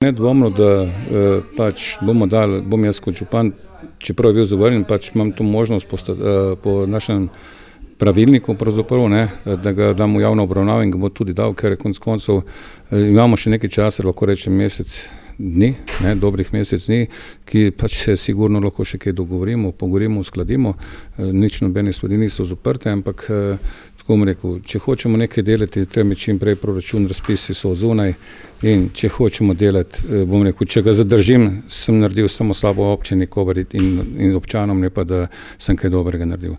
Nedvomno, da pač bom jaz kot župan, čeprav je bil zavrnjen, pač imam to možnost po našem pravilniku pravzaprav, da ga dam v javno obravnavo in ga bo tudi dal, ker konec koncev imamo še nekaj časa, lahko rečem mesec dni, dobrih mesec dni, ki pač se sigurno lahko še kaj dogovorimo, pogovorimo, uskladimo, nič nobene stvari niso zaprte, ampak tako bom rekel, če hočemo nekaj delati, treba čim prej proračun, razpisi so zunaj in če hočemo delati, bom rekel, če ga zadržim, sem naredil samo slabo občini in občanom, ne pa da sem kaj dobrega naredil.